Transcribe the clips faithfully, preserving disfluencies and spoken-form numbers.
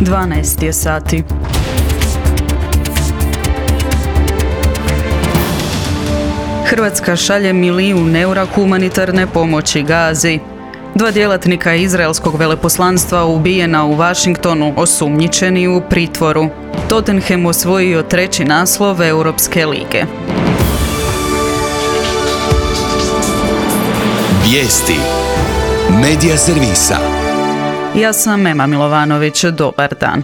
dvanaest je sati. Hrvatska šalje milijun eura humanitarne pomoći Gazi. Dva djelatnika izraelskog veleposlanstva ubijena u Washingtonu, osumnjičeni u pritvoru. Tottenham osvojio treći naslov Europske lige. Vijesti Medija servisa. Ja sam Ema Milovanović, dobar dan.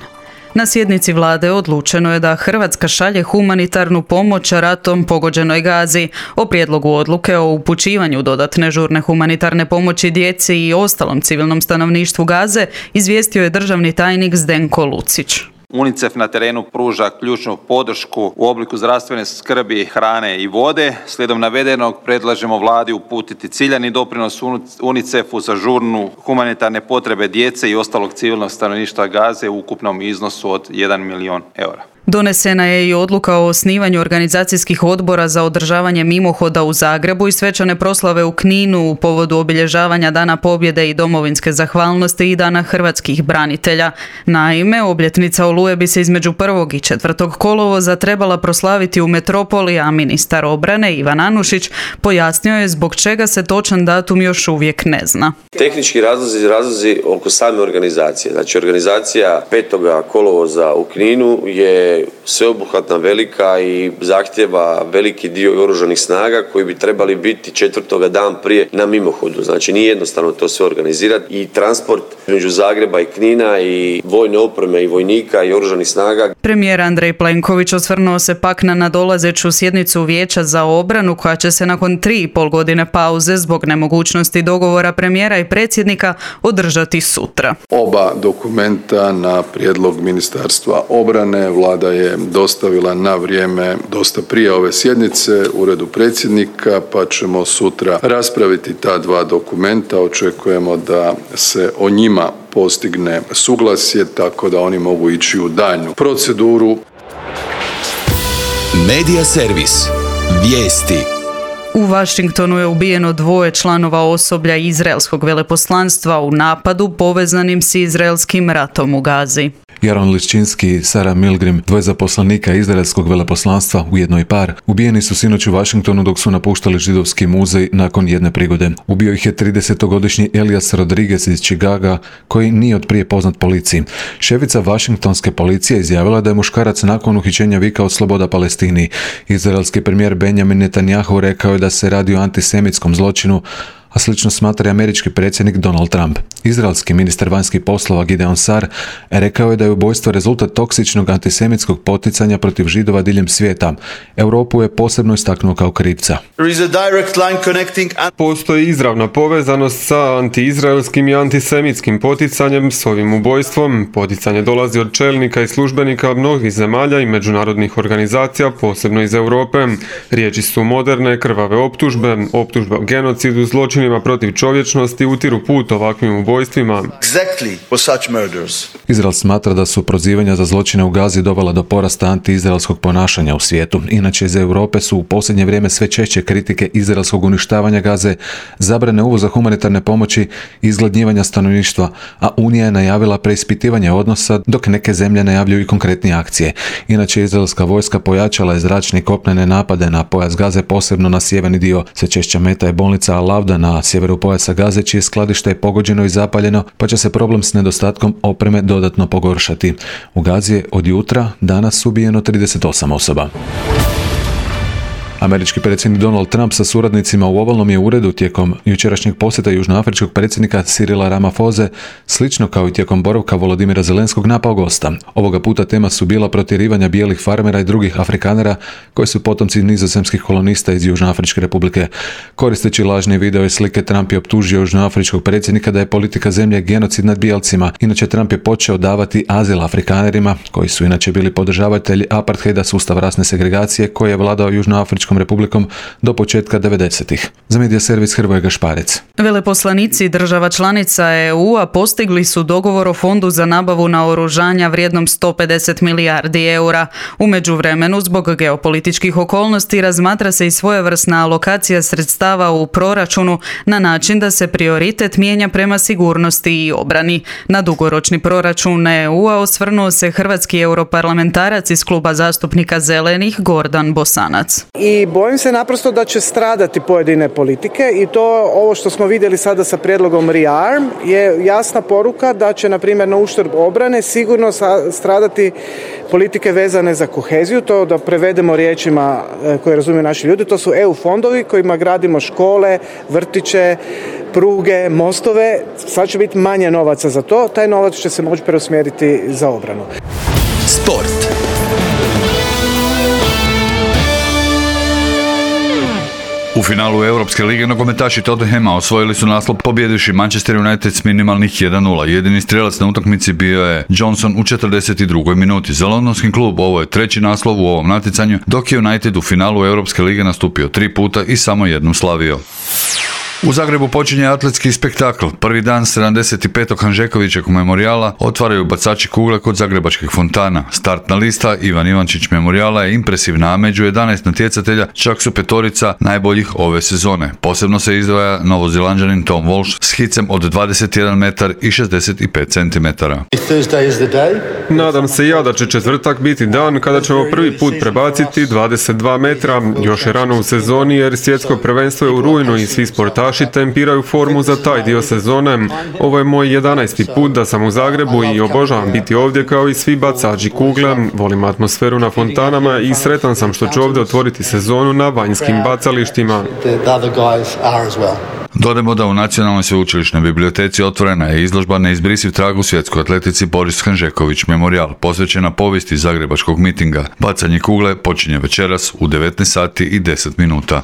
Na sjednici vlade odlučeno je da Hrvatska šalje humanitarnu pomoć ratom pogođenoj Gazi. O prijedlogu odluke o upućivanju dodatne žurne humanitarne pomoći djeci i ostalom civilnom stanovništvu Gaze izvijestio je državni tajnik Zdenko Lucić. UNICEF na terenu pruža ključnu podršku u obliku zdravstvene skrbi, hrane i vode. Slijedom navedenog predlažemo vladi uputiti ciljani doprinos UNICEF-u za žurnu humanitarne potrebe djece i ostalog civilnog stanovništva Gaze u ukupnom iznosu od jedan milijun eura. Donesena je i odluka o osnivanju organizacijskih odbora za održavanje mimohoda u Zagrebu i svečane proslave u Kninu u povodu obilježavanja Dana pobjede i domovinske zahvalnosti i Dana hrvatskih branitelja. Naime, obljetnica Oluje bi se između prvog i četvrtog kolovoza trebala proslaviti u metropoli, a ministar obrane Ivan Anušić pojasnio je zbog čega se točan datum još uvijek ne zna. Tehnički razlozi, razlozi oko same organizacije. Znači, organizacija petog kolovoza u Kninu je sveobuhvatna, velika i zahtjeva veliki dio oružanih snaga koji bi trebali biti četvrtoga dan prije na mimohodu. Znači, nije jednostavno to sve organizirati i transport među Zagreba i Knina i vojne opreme i vojnika i oružanih snaga. Premijer Andrej Plenković osvrnuo se pak na nadolazeću sjednicu Vijeća za obranu koja će se nakon tri i pol godine pauze zbog nemogućnosti dogovora premijera i predsjednika održati sutra. Oba dokumenta na prijedlog Ministarstva obrane vlada je dostavila na vrijeme dosta prije ove sjednice uredu predsjednika, pa ćemo sutra raspraviti ta dva dokumenta. Očekujemo da se o njima postigne suglasje tako da oni mogu ići u daljnju proceduru. Medija servis. Vijesti. U Washingtonu je ubijeno dvoje članova osoblja izraelskog veleposlanstva u napadu povezanim s izraelskim ratom u Gazi. Jaron Liščinski i Sara Milgrim, dvoje zaposlenika izraelskog veleposlanstva, ujedno i par, ubijeni su sinoć u Washingtonu dok su napuštali židovski muzej nakon jedne prigode. Ubio ih je tridesetogodišnji Elias Rodriguez iz Chicaga, koji nije od prije poznat policiji. Šefica Washingtonske policije izjavila da je muškarac nakon uhićenja vikao sloboda Palestini. Izraelski premijer Benjamin Netanyahu rekao je da se radi o antisemitskom zločinu, a slično smatra i američki predsjednik Donald Trump. Izraelski ministar vanjskih poslova Gideon Sar rekao je da je ubojstvo rezultat toksičnog antisemitskog poticanja protiv Židova diljem svijeta. Europu je posebno istaknuo kao krivca. Postoji izravna povezanost sa antiizraelskim i antisemitskim poticanjem s ovim ubojstvom. Poticanje dolazi od čelnika i službenika mnogih zemalja i međunarodnih organizacija, posebno iz Europe. Riječi su moderne, krvave optužbe, optužbe o genocidu, zločinima protiv čovječnosti utiru put ovakvim ubojstvima. Izrael smatra da su prozivanja za zločine u Gazi dovela do porasta antiizraelskog ponašanja u svijetu. Inače, iz Europe su u posljednje vrijeme sve češće kritike izraelskog uništavanja Gaze, zabrane uvoza humanitarne pomoći i izgladnjivanja stanovništva, a Unija je najavila preispitivanje odnosa, dok neke zemlje najavljuju i konkretnije akcije. Inače, izraelska vojska pojačala je zračne i kopnene napade na pojas Gaze, posebno na sjeverni dio. Sve češća meta je bolnica Al-Avda na sjeveru pojasa Gaze, čije skladište je pogođeno i zapaljeno, pa će se problem s nedostatkom opreme dodatno pogoršati. U Gazi je od jutra danas ubijeno trideset osam osoba. Američki predsjednik Donald Trump sa suradnicima u ovalnom je uredu tijekom jučerašnjeg posjeta južnoafričkog predsjednika Cyrila Ramaphosa, slično kao i tijekom boravka Volodymyra Zelenskog, napao gosta. Ovoga puta tema su bila protjerivanja bijelih farmera i drugih Afrikanera koji su potomci nizozemskih kolonista iz Južnoafričke republike. Koristeći lažne video i slike, Trump je optužio južnoafričkog predsjednika da je politika zemlje genocid nad bijelcima. Inače, Trump je počeo davati azil Afrikanerima, koji su inače bili podržavatelji apartheida, sustav rasne segregacije koji je vladao južnoafričkom Češkom republikom do početka devedesetih. Za Medija servis Hrvoje Gašparec. Veleposlanici država članica E U-a postigli su dogovor o fondu za nabavu naoružanja vrijednom sto pedeset milijardi eura. U međuvremenu, zbog geopolitičkih okolnosti, razmatra se i svojevrsna alokacija sredstava u proračunu na način da se prioritet mijenja prema sigurnosti i obrani. Na dugoročni proračun E U-a osvrnuo se hrvatski europarlamentarac iz kluba zastupnika Zelenih Gordan Bosanac. I bojim se naprosto da će stradati pojedine politike i to ovo što smo vidjeli sada sa prijedlogom REARM je jasna poruka da će na primjer na uštrb obrane sigurno stradati politike vezane za koheziju, to da prevedemo riječima koje razumiju naši ljudi, to su E U fondovi kojima gradimo škole, vrtiće, pruge, mostove, sad će biti manje novaca za to, taj novac će se moći preusmjeriti za obranu. Sport. U finalu Europske lige nogometaši Tottenhama osvojili su naslov pobjedivši Manchester United s minimalnih jedan nula. Jedini strelac na utakmici bio je Johnson u četrdeset drugoj minuti. Za londonski klub ovo je treći naslov u ovom natjecanju, dok je United u finalu Europske lige nastupio tri puta i samo jednom slavio. U Zagrebu počinje atletski spektakl. Prvi dan sedamdeset petog Hanžekovićevog memorijala otvaraju bacači kugle kod zagrebačkih fontana. Startna lista Ivan Ivančić memorijala je impresivna, a među jedanaest natjecatelja čak su petorica najboljih ove sezone. Posebno se izdvaja Novozelanđanin Tom Walsh s hicem od dvadeset jedan metar i šezdeset pet centimetara. Nadam se ja da će četvrtak biti dan kada ćemo prvi put prebaciti dvadeset dva metra. Još je rano u sezoni jer svjetsko prvenstvo je u rujnu i svi sportaši tempiraju formu za taj dio sezone. Ovo je moj jedanaesti put da sam u Zagrebu i obožavam biti ovdje kao i svi bacači kugle. Volim atmosferu na fontanama i sretan sam što ću ovdje otvoriti sezonu na vanjskim bacalištima. Dodajmo da u Nacionalnoj sveučilišnoj biblioteci otvorena je izložba Neizbrisiv trag u svjetskoj atletici Boris Hanžeković memorijal, posvećena povijesti zagrebačkog mitinga. Bacanje kugle počinje večeras u devetnaest sati i deset minuta.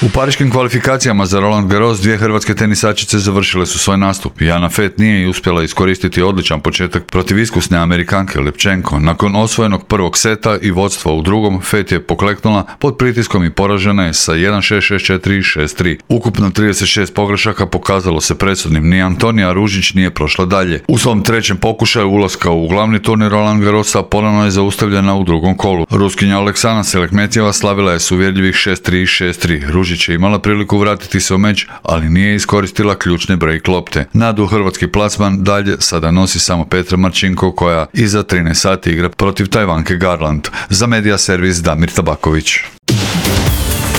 U pariškim kvalifikacijama za Roland Garros dvije hrvatske tenisačice završile su svoj nastup. Jana Fett nije uspjela iskoristiti odličan početak protiv iskusne Amerikanke Lepčenko. Nakon osvojenog prvog seta i vodstva u drugom, Fett je pokleknula pod pritiskom i poražena je sa jedan šest, šest četiri i šest tri. Ukupno trideset šest pogrešaka pokazalo se presudnim. Ni Antonija Ružić nije prošla dalje. U svom trećem pokušaju ulaska u glavni turnir Roland Garrosa ponovno je zaustavljena u drugom kolu. Ruskinja Aleksana Selekmetjeva slavila je s uvjerljivih šest tri i šest tri. Ružić je imala priliku vratiti se u meč, ali nije iskoristila ključne break lopte. Nadu hrvatski plasman dalje sada nosi samo Petra Marčinko koja iza trinaest sati igra protiv Tajvanke Garland. Za Medija servis Damir Tabaković.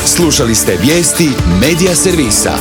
Slušali ste vijesti Medija servisa.